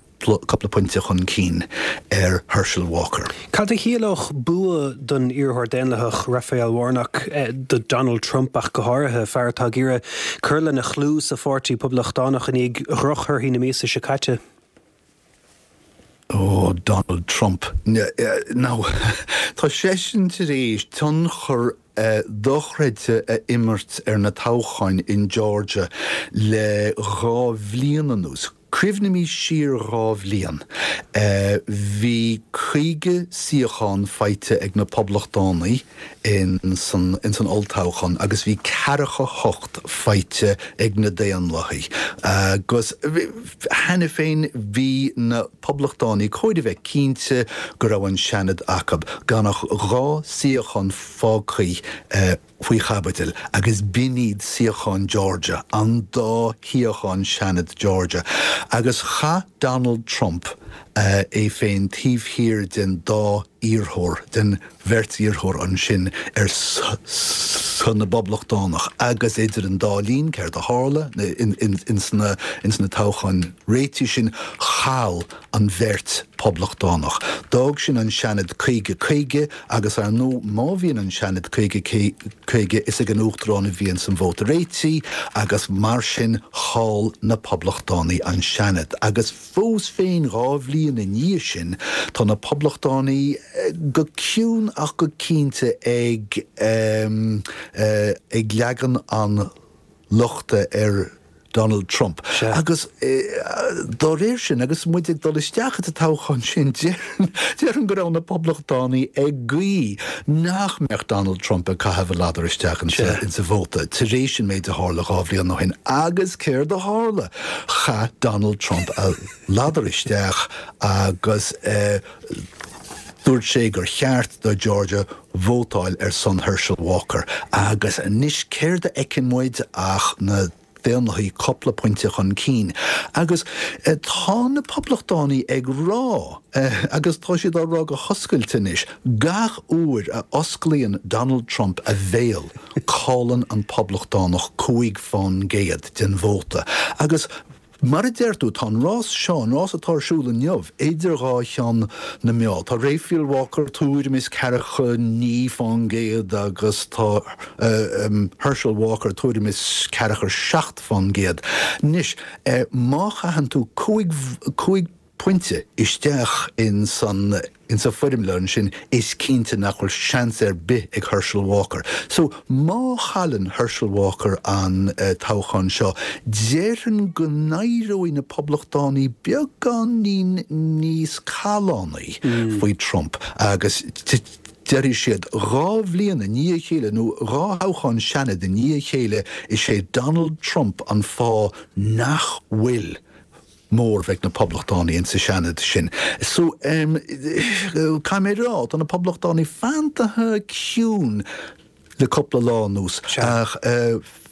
pointe chun cinn ar Herschel Walker. Cad a chiallódh bua don iarrthóir Daonlathach Raphael Warnock, do Donald Trump ach go háirithe, fear atá ag iarraidh cur lena chlú sa pháirtí Poblachtánach i ndiaidh dhrochthorthaí na míosa seo caite? Ó, Donald Trump. Now, tá seisean tar éis tionchar dochreidte a imirt ar na toghcháin in Georgia le dhá bhliain anuas. Cuimhnímis siar dhá bhliain. Bhí caoga suíochán faighte ag na Poblachtánaigh in san olltoghchán agus bhí ceathracha hocht faighte ag na Daonlathaigh. Agus cheana féin bhí na Poblachtánaigh chóir a bheith cinnte go raibh an Seanad acu, gan ach dhá suíochán fágtha faoi chaibidil, agus b'in iad suíocháin Georgia, an dá shuíochán Seanad Georgia. Agus chaith Donald Trump é féin taobh thiar den dá iarrthóir, den bheirt iarrthóir ansin ar son na bPoblachtánach, agus idir an dá linn, céard a tharla ins na toghcháin réitigh sin, chaill an bheirt Poblachtánach. D'fhág sin an Seanad caoga caoga agus ar ndóigh má bhíonn an Seanad caoga caoga is ag an Uachtarán a bhíonns an vóta réitigh agus mar sin chaill na Poblachtánaigh an Seanad. Agus fós féin dhá bhliain i ndiaidh sin tá na Poblachtánaigh go ciúin ach go cinnte ag ag leagan an lochta ar Donald Trump. Agus dá réir sin, agus muid ag dul isteach sa toghchán sin, déarfainn go raibh na Poblachtánaigh ag guí nach mbeadh Donald Trump ag caitheamh a ladar isteach insa vóta tar éis an méid a tharla dhá bhliain ó shin. Agus céard a tharla? Chaith Donald Trump a ladar isteach agus dúirt sé gur cheart do Georgia vótáil ar son Herschel Walker. Agus anois céard a fheiceann muid ach na Daonlathaigh cúpla pointe chun cinn. Agus tá na Poblachtánaigh ag rá, agus tá siad á rá go hoscailte anois, gach uair a osclaíonn Donald Trump a bhéal, cailleann an Poblachtánach cúig fán gcéad den vóta. Agus Mar a deir tú, tá an rás seo, an rás atá ar siúl inniu, idir dhá cheann na meá. Tá Raphael Walker tuairim is ceathracha naoi fán gcéad agus tá Herschel Walker tuairim is ceathracha seacht fán gcéad. Anois, má chaitheann tú cúig, cúig pointe isteach in san, insa foirmle ansin, is cinnte nach bhfuil seans ar bith ag Herschel Walker. So, má chailleann Herschel Walker an toghchán seo, déarfainn go n-éireoidh na Poblachtánaigh beagáinín níos callánaí faoi Trump agus déarfaidh siad dhá bhliain i ndiaidh a chéile, nó dhá thoghchán Seanaid i ndiaidh a chéile, is é Donald Trump an fáth nach bhfuil móramh ag na Poblachtánaigh insa Seanad sin. So, caithfidh mé a rá, tá na Poblachtánaigh fantaithe ciúin le cúpla lá anuas, ach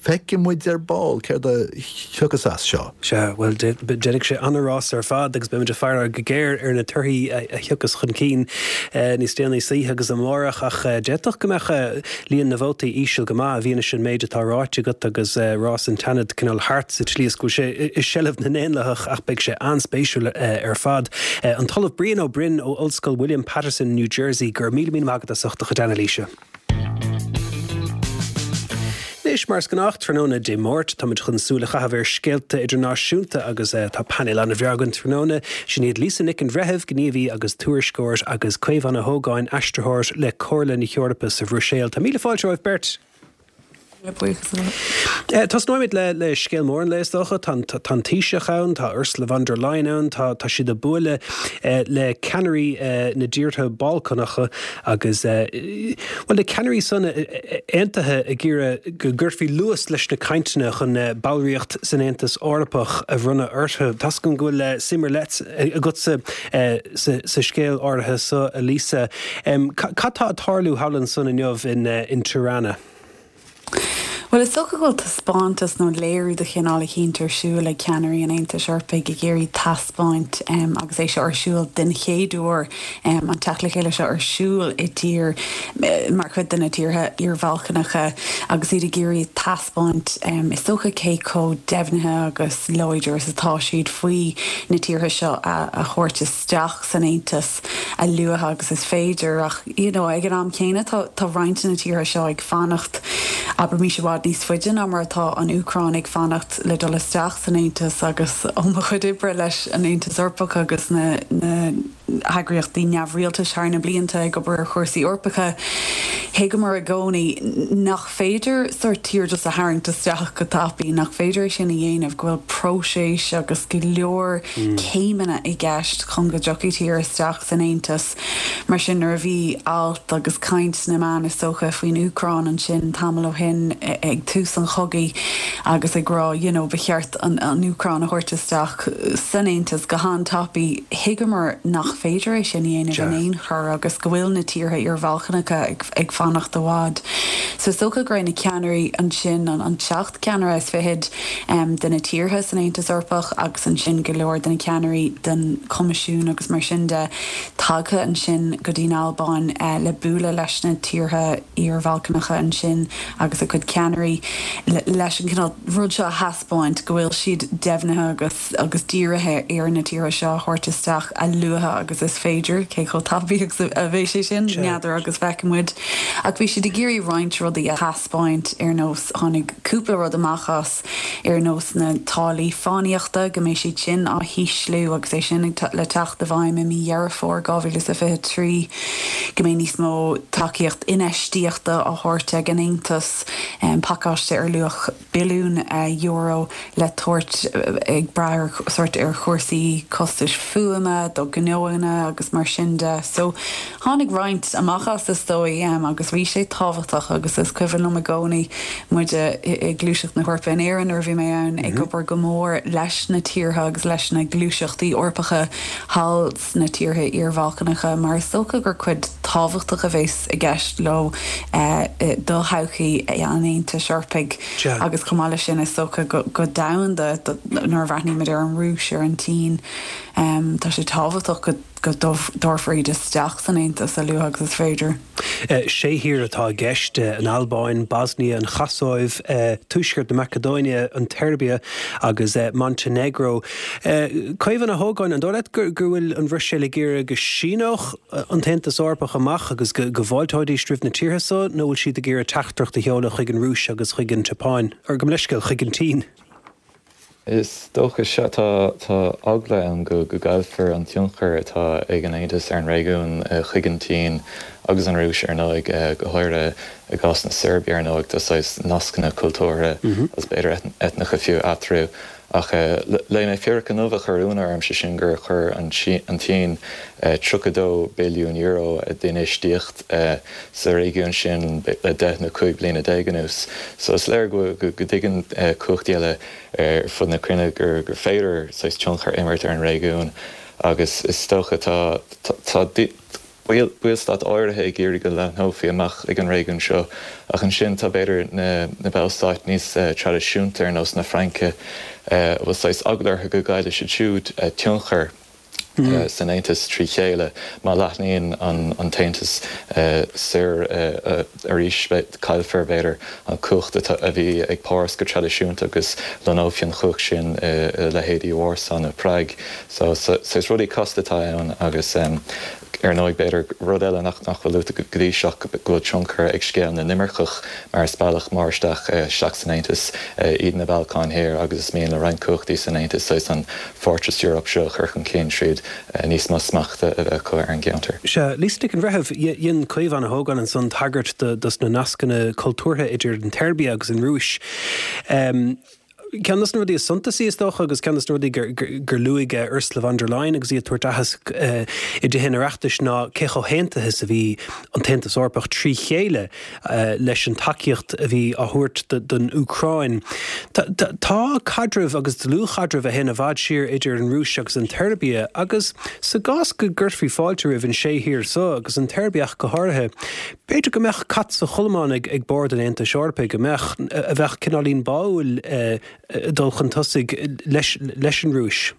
feicfidh muid ar ball céard a thiocfas as seo. Sea, bhuel, déanfaidh sé an-rás ar fad agus beimid ag faire go géar ar na torthaí a thiocfas chun cinn níos déanaí sa oíche agus amárach ach d'fhéadfadh go mbeadh líon na vótaí íseal go maith i bhfianaise an méid atá ráite agat agus rás an tSeanaid cineál thart sa tslí is go bhfuil sé i seilbh na nDaonlathach ach beidh sé an-spéisiúil ar fad. An tOllamh Brian Ó Broin ó Ollscoil William Paterson, New Jersey, go raibh míle míle maith agat as ucht do chuid anailíse. Anois, Anois mar is gnách tráthnóna Dé Máirt táimid chun súil a chaitheamh ar scéalta idirnáisiúnta agus tá painéal an-bhreá againn tráthnóna sin iad Lisa Nic an Bhreithimh, gníomhaí agus tuairisceoir agus Caomhán Ó hÓgáin aistritheoir le Comhairle na hEorpa sa Bhruiséil. Tá míle fáilte romhaibh beirt. Tosnóimid le le scéal mór an lae is dócha tá an Taoiseach ann, tá Ursula von der Leyen ann, tá tá siad ag bualadh le ceannairí na dtíortha Balcánacha agus well na ceannairí san aontaithe ag iarraidh go gcuirfí luas leis na cainteanna chun ballraíocht san Aontas Eorpach a bhronnadh orthu. Tá a fhios agam go bhfuil suim ar leith agatsa sa scéal áirithe seo a Lisa. Cad tá ag tarlú thall ansan inniu in in Tirana? Bhuel is dócha go bhfuil taispeántas nó léiriú de chineál eicínt ar siúl ag ceannairí an Aontais Eorpaigh ag iarraidh taispeáint agus é seo ar siúl den chéad uair an teacht le chéile seo ar siúl i dtír mar chuid de na tíortha iar-Bhalcánacha agus iad ag iarraidh taispeáint is dócha cé chomh deimhnithe agus láidir is atá siad faoi na tíortha seo a thabhairt isteach san Aontas a luaithe agus is féidir ach you know ag an am céanna tá tá roinnt de na tíortha seo ag fanacht abraimis i bhfad níos faide ná mar atá an Úcráin ag fanacht le dul isteach san Aontas agus ó mo chuid oibre leis an Aontas Eorpach agus na na heagraíochtaí neamhrialtais thar na blianta ag obair ar chúrsaí Eorpacha, thuigeamar i gcónaí nach féidir sórt tír just a tharraingt isteach go tapaidh, nach féidir é sin a dhéanamh, go bhfuil próiseas agus go leor céimeanna i gceist chun go dtiocfaidh tír isteach san Aontas. Mar sin nuair a bhí alt agus caint sna meáin is dócha faoin Úcráin ansin tamall ó shin ag tús an chogaidh agus ag rá you know ba cheart an an Úcráin a thabhairt isteach san Aontas go han-tapaidh, thuigeamar nach féidir é sin a dhéanamh in aon chor agus go bhfuil na tíortha iar-Bhalcánacha ag ag fanacht i bhfad. So is dócha go raibh na ceannairí ansin an an seacht ceannaire is fichead um, de na tíortha san Aontas Eorpach agus ansin go leor de na ceannairí den Choimisiún agus mar sin de tagtha ansin go dtí an Albáin uh, le bualadh leis na tíortha iar-Bhalcánacha ansin agus a gcuid ceannairí leis an cineál rud seo a thaispeáint go bhfuil siad deimhnithe agus agus dírithe ar na tíortha seo a thabhairt isteach a luaithe agus is féidir cé chomh tapaidh agus a bheidh sé sin n'fheadar agus feicfidh muid. Ach bhí siad ag iarraidh roinnt rudaí a thaispeáint ar nós tháinig cúpla rud amach as ar nós na táillí fánaíochta go mbeidh siad sin á hísliú agus é sin le teacht i bhfeidhm i mí Dheireadh Fómhair dhá mhíle is a fiche trí, go mbeidh níos mó tacaíocht infheistíochta á thabhairt ag an Aontas, pacáiste ar luach billiún euro le tabhairt ag brath ar sórt ar chúrsaí costais fuaime do ghnóanna agus mar sin de. So tháinig roinnt amach as is dóigh agus bhí sé tábhachtach agus is cuimhin liom i gcónaí muid i gluaiseacht na hEorpa in Éirinn nuair a bhí mé ann ag obair go mór leis na tíortha agus leis na gluaiseachtaí Eorpacha thall sna tíortha iar-Bhalcánacha mar is dócha gur cuid tábhachtach a bheas i gceist leo do thodhchaí an Aontais Eorpaigh agus chomh maith leis sin is dócha go domhanda nuair a bhreathnaímid ar an Rúis ar an tSín tá sé tábhachtach go go dtabharfar iad isteach san Aontas a luaithe agus is féidir. Sé thír atá i gceist, an Albáin, Bosnia, an Chosóiv, Tuaisceart na Macadóine, an tSeirbia agus Montainéagró. Caomhán Ó hÓgáin, an dóigh leat go bhfuil an Bhruiséil ag iarraidh go síneodh an tAontas Eorpach amach agus go bhfáilteoidís roimh na tíortha so nó bhfuil siad ag iarraidh teachtaireacht a sheoladh chuig an Rúis agus chuig an tSeapáin, or gabh mo leithscéal, chuig an tSín? Is dócha sea, tá tá eagla ann go go gcaillfear an tionchar atá ag an Aontas ar an réigiún chuig an tSín agus an Rúis ar ndóigh, go háirithe i gcás na Seirbia ar ndóigh, tá saghas nascanna cultúrtha agus b'fhéidir eitneacha fiú eatarthu. Ach léigh mé fíric inniu a chuir ionadh orm, sé sin gur chuir an tSín tríocha dó billiún euro d'infheistíocht sa réigiún sin le deich nó cúig bliana déag anuas. So is léir go dtuigeann cumhachtaí eile ar fud na cruinne gur féidir saghas tionchar a imirt ar an réigiún agus is dócha tá tá ballstáit áirithe ag iarraidh go leathnófaí amach ag an réigiún seo ach ansin tá b'fhéidir na na ballstáit níos traidisiúnta ar nós na Fraince a bhfuil saghas eagla orthu go gcaillfidh siad siúd tionchar san Aontas trí chéile má leathnaíonn an tAontas soir arís caillfear b'fhéidir an chumhacht a bhí ag Páras go traidisiúnta agus lonnófaí an chumhacht sin i leithéidí Vársá nó Prág. So saghas rudaí casta atá ann agus Ar ndóigh, b'fhéidir rud eile nach nach bhfuil luaite go dtí seo go bhfuil tionchar ag scéal na n-imirceach mar is bealach mór isteach isteach san Aontas iad na Balcáin Thiar agus is mian le roinnt cumhachtaí san Aontas saghas an Fortress Europe seo a chur chun cinn tríd níos mó smachta a bheith acu ar an gceantar. Sea, Lisa Nic an Bhreithimh, dhein Caomhán Ó hÓgáin ansan tagairt dos na nascanna cultúrtha idir an tSeirbia agus an Rúis. Ceann de na rudaí is suntasaí, is dócha, agus ceann de na rudaí gur luaigh Ursula von der Leyen agus í ag tabhairt aitheasc i dTithe an Oireachtais ná cé chomh haontaithe is a bhí an tAontas Eorpach trí chéile leis an tacaíocht a bhí á thabhairt don Úcráin. Tá caidreamh agus dlúthchaidreamh a théann i bhfad siar idir an Rúis agus an tSeirbia agus sa gcás go gcuirfí fáilte roimh an sé thír so, agus an tSeirbia ach go háirithe, b'fhéidir go mbeadh cat sa chodlamán ag bord an Aontais Eorpaigh, go mbeadh, a bheadh cineáilín báúil dul chun tosaigh leis leis an Rúis.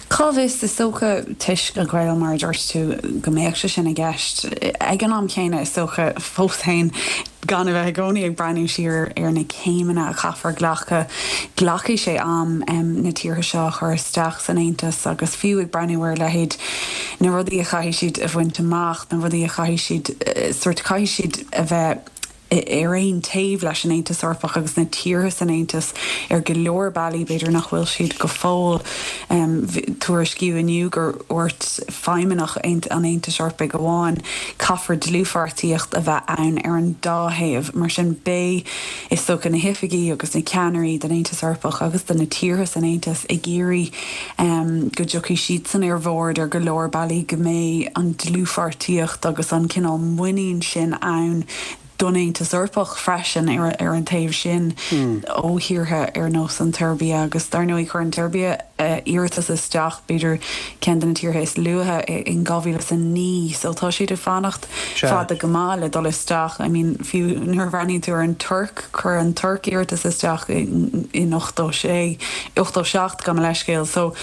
Cá bhfios, is dócha, toisc an ghaol, mar a dúirt tú, go mbeadh sé sin i gceist. Ag an am céanna, is dócha, fós féin, gan a bheith i gcónaí ag breathnú siar ar na céimeanna a chaithfear glacadh, glacfaidh sé am na tíortha seo a chur isteach san Aontas agus fiú ag breathnú ar a leithéid na rudaí a chaithfidh siad a bhaint amach, na rudaí a chaithfidh siad, sórt, caithfidh siad a bheith ar aon taobh leis an Aontas Eorpach agus na tíortha san Aontas ar go leor bealaí, b'fhéidir nach bhfuil siad go fóill. Tuairiscíodh inniu gur dhúirt feidhmeannach an Aontais Eorpaigh amháin, caithfear dlúthpháirtíocht a bheith ann ar an dá thaobh. Mar sin, beidh, is dócha, na hoifigigh agus na ceannairí den Aontas Eorpach agus de na tíortha san Aontas ag iarraidh go dtiocfaidh siadsan ar bhord ar go leor bealaí, go mbeidh an dlúthpháirtíocht agus an cineál muinín sin ann don Aontas Eorpach freisin ar ar an taobh sin ó thíortha ar nós an tSeirbia agus dar ndóigh chuir an tSeirbia iarratas isteach, b'fhéidir ceann de na tíortha is luaithe in dhá mhíle is a naoi so tá siad ag fanacht fada go maith le dul isteach. I mean fiú nuair a bhreathnaíonn tú ar an Tuirc, chuir an Tuirc iarratas isteach in ochtó sé, ochtó seacht gabh mo leithscéal so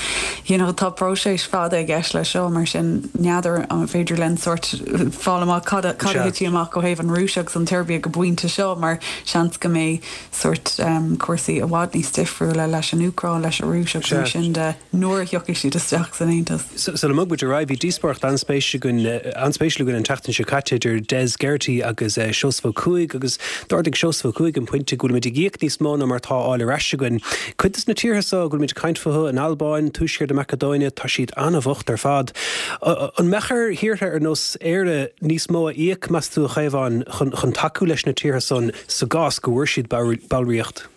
you know tá próiseas fada i gceist leis seo mar sin n'fheadar an féidir linn sórt fáil amach cad a cad a thitfidh amach ó thaobh an Rúis agus an tSeirbia go pointe seo mar seans go mbeidh sórt cúrsaí i bhfad níos difriúla leis an Úcráin, leis an Rúis agus mar sin de nuair a thiocfaidh siad isteach san Aontas. Sula mbogfaidh muid ar aghaidh, bhí díospóireacht an-spéisiúil againn an-spéisiúil againn an tseachtain seo caite idir Des Geraghty agus Seosamh Ó Cuaig agus d'ardaigh Seosamh Ó Cuaig an pointe go bhfuilimid ag íoc níos mó ná mar atá á fháil ar ais againn. Cuid de na tíortha seo go bhfuilimid ag caint fúthu, an Albáin, Tuaisceart na Macadóine, tá siad an-bhocht ar fad. An mbeadh ar thíortha ar nós Éire níos mó a íoc, meas tú, a Chaomháin, chun chun tacú leis na tíortha san sa gcás go bhfuair siad ballraíocht?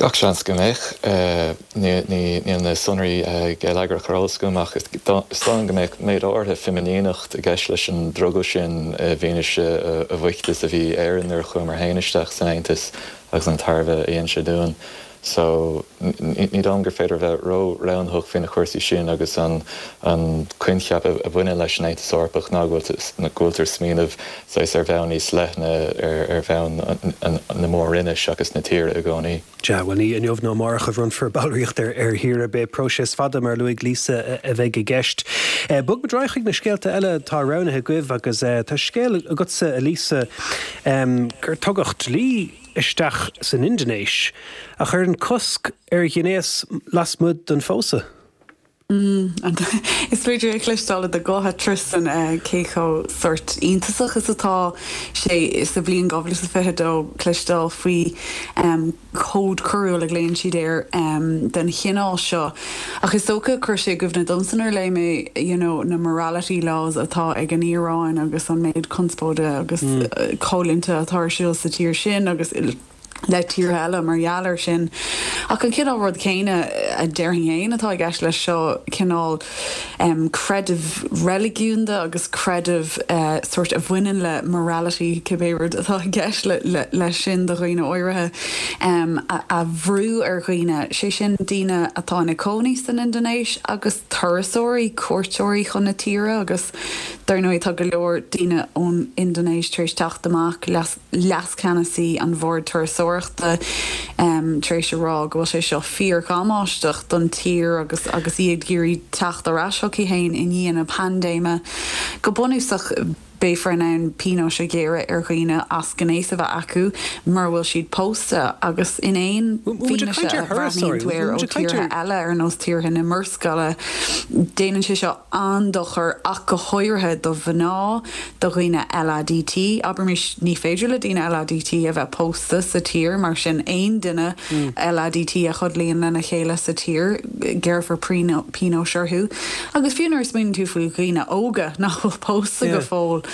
Gach seans go mbeadh. Níl na sonraí geilleagracha ar eolas agam ach is dóigh go mbeadh méid áirithe fimíneacht i gceist leis an drogall sin i bhfianaise a bhoichte is a bhí Éire nuair a chuamar féin isteach san Aontas agus an tairbhe a dhein sé dúinn. So, ní dóigh liom gur féidir a bheith ró-roghnaitheach faoi na cúrsaí sin agus an an coincheap a bhaineann leis an Aontas Eorpach ná go bhfuiltear ag smaoineamh saghas ar bhonn níos leithne, ar bhonn na mór-roinne seachas na tíre i gcónaí. Sea, bhuel, ní inniu ná amárach a bhronnfar ballraíocht ar ar thír ar bith. Próiseas fada, mar a luaigh Lisa, a bheidh i gceist. Bogfaidh muid ar aghaidh chuig na scéalta eile atá roghnaithe agaibh agus tá scéal agatsa, a Lisa, gur tugadh dlí isteach san Indinéis a chuireann cosc ar ghnéas lasmuigh den phósadh. Is féidir a chloisteáil i do ghuth, a Tristan, cé chomh sórt iontasach is atá sé sa bhliain dhá mhíle is a fiche dó cloisteáil faoi chód coiriúil a ghlaonn siad air den chineál seo. Ach is dócha, chuir sé i gcuimhne domsa nuair a léigh mé you know na morality laws atá ag an Iaráin agus an méid conspóide agus coimhlinte atá ar siúl sa tír sin agus le tíortha eile mar gheall air sin. Ach an cineál rud céanna a déarfainn féin atá i gceist leis seo, cineál creideamh reiligiúnda agus creideamh sórt a bhaineann le morality, cibé rud atá i gceist leis sin do dhaoine áirithe, a bhrú ar dhaoine, sé sin daoine atá ina cónaí san Indinéis agus turasóirí, cuairteoirí chun na tíre agus dar ndóigh tá go leor daoine ón Indinéis tar éis teacht amach, leascheannasaí an Bhoird Turasóireachta tar éis a rá go bhfuil sé seo fíordhamáisteach don tír agus agus í ag iarraidh teacht ar ais chuici féin i ndiaidh na paindéime. Go bunúsach, beifear in ann pionóis a ghearradh ar dhaoine as gnéas a bheith acu mura bhfuil siad pósta agus in aon fianaise a bhreathnaíonn tú air ó tíortha eile ar nós tíortha na Murascaille, déanann sé seo an-dochar ach go háirithe do mhná, do dhaoine LADT. Abraimis, ní féidir le daoine LADT a bheith pósta sa tír, mar sin aon duine LADT a chodlaíonn lena chéile sa tír, gearrfar pionóis orthu. Agus fiú nuair a smaoiníonn tú faoi dhaoine óga nach bhfuil pósta go fóill,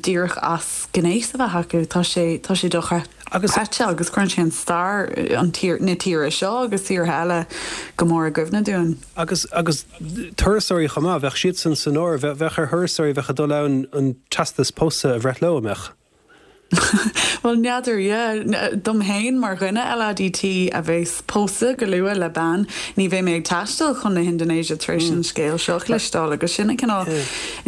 díreach as gnéas a bheith acu, tá sé, tá sé dochreidte agus cuireann sé an stair an tír, na tíre seo agus tíortha eile go mór i gcuimhne dúinn. Agus, agus turasóirí chomh maith, bheadh siadsan san áireamh, bheadh ar thurasóirí a bheadh ag dul ann an teastas pósta a bhreith leo, an mbeadh? Bhuel, n'fheadar, yeah. Dom fhéin, mar dhuine LADT a bheas pósta go luath le bean, ní bheidh mé ag taisteal chun na hIndinéise tar éis an scéal seo a chloisteáil agus sin an cineál,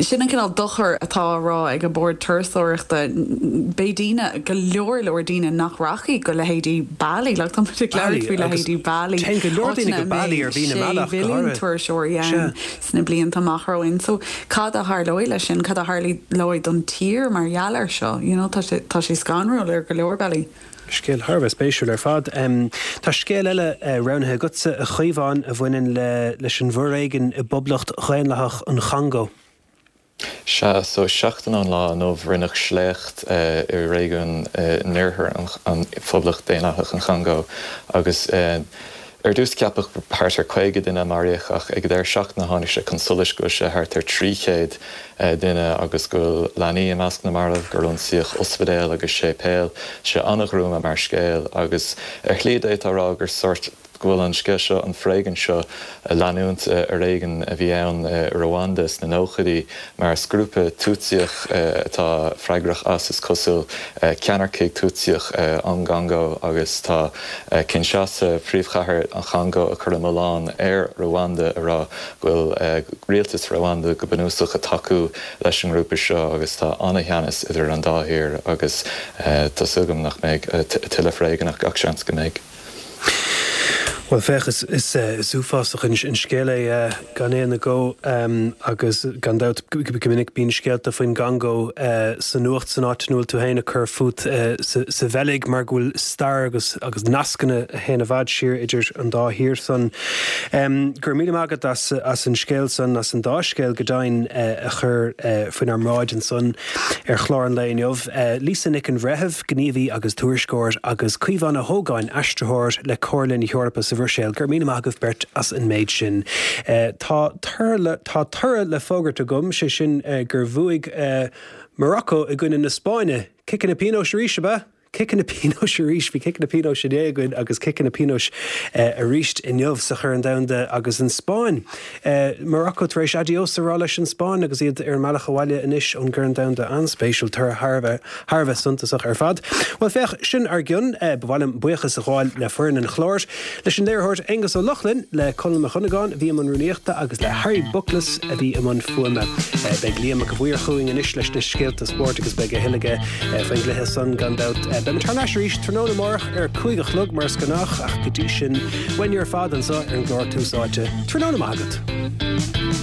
sin an cineál dochair atá á rá ag an Bord Turasóireachta. Beidh daoine, go leor leor daoine nach rachaidh go leithéidí Bali, like tá muid ag labhairt faoi leithéidí Bali, áiteanna a mbeidh sé mhilliún turasóirí ann sna blianta amach romhainn. So cad a tharlóidh leis sin? Cad a tharlóidh don tír mar gheall air seo? You know, tá sé, tá sé scanrúil ar go leor bealaí. Scéal thar a bheith spéisiúil ar fad. Tá scéal eile roghnaithe agatsa, a Chaomháin, a bhaineann le leis an bhforéigean i bPoblacht Dhaonlathach an Chongó. Sea, so seachtain ón lá inniu rinneadh sléacht i réigiún in oirthear an Phoblacht Daonlathach an Chongó agus ar dtús ceapadh thart ar caoga duine a maraíodh ach ag an deireadh seachtaine tháinig sé chun solais go bhfuil sé thart ar trí chéad duine agus go bhfuil leanaí i measc na marbh, gur ionsaíodh ospidéal agus séipéal. Tá sé an-ghruama mar scéal agus ar shlí d'fhéadfá a rá gur sórt go bhfuil an scéal seo, an foréigean seo, leanúint d'fhoréigean a bhí ann i Rwanda sna nóchaidí mar is grúpa Túitsíoch atá freagrach as, is cosúil, ceannaircigh Túitsíoch ón gCongó agus tá Kinshasa, príomhchathair an Chongó, ag cur an milleán ar Rwanda ag rá go bhfuil rialtas Rwanda go bunúsach ag tacú leis an ngrúpa seo agus tá an-teannas idir an dá thír agus tá súil agam nach mbeidh tuilleadh foréigin ach gach seans go mbeidh. Bhuel, féach, is uafásach an scéal é gan aon agó agus gan dabht go minic bíonn scéalta faoin gCongó sa nuacht san áit ina bhfuil tú féin ag cur fút sa Bheilg mar go bhfuil stair agus agus nascanna a théann i bhfad siar idir an dá thír san. Go raibh míle maith agat as as an scéal san, as an dá scéal go deimhin a chur faoinár mbráid ansan ar chlár an lae inniu. Lisa Nic an Bhreithimh, gníomhaí agus tuairisceoir, agus Caomhán Ó hÓgáin, aistritheoir le Comhairle na hEorpa sa Bhruiséil. Go raibh míle maith agaibh beirt as an méid sin. Tá tá toradh le fógairt agam, sé sin gur bhuaigh Morocco i gcoinne na Spáinne. Ciceanna pionóis arís, ab ea? Ciceanna pionóis arís, bhí ciceanna pionóis inné againn agus ciceanna pionóis arís inniu sa Chorn Domhanda agus an Spáinn. Morocco tar éis adios a rá leis an Spáinn agus iad ar an mbealach abhaile anois ón gCorn Domhanda. An-spéisiúil, toradh thar a bheith thar a bheith suntasach ar fad. Bhuel féach, sin ár gcionn. Ba mhaith liom buíochas a ghabháil le foireann an chláir, leis an léiritheoir Aonghus Ó Lochlainn, le Conall Mac Dhonnagáin a bhí i mbun rúnaíochta agus le Harry Buckles a bhí i mbun fuaime. Beidh Liam Mac a' Mhaoir chugainn anois leis na scéalta spóirt agus beidh a thuilleadh aige faoin gcluiche san gan dabht. Beimid thar n-ais arís tráthnóna amárach ar a cúig a chlog mar is gnách ach go dtí sin, uainne ar fad anseo ar an gclár Tús Áite, tráthnóna maith agat.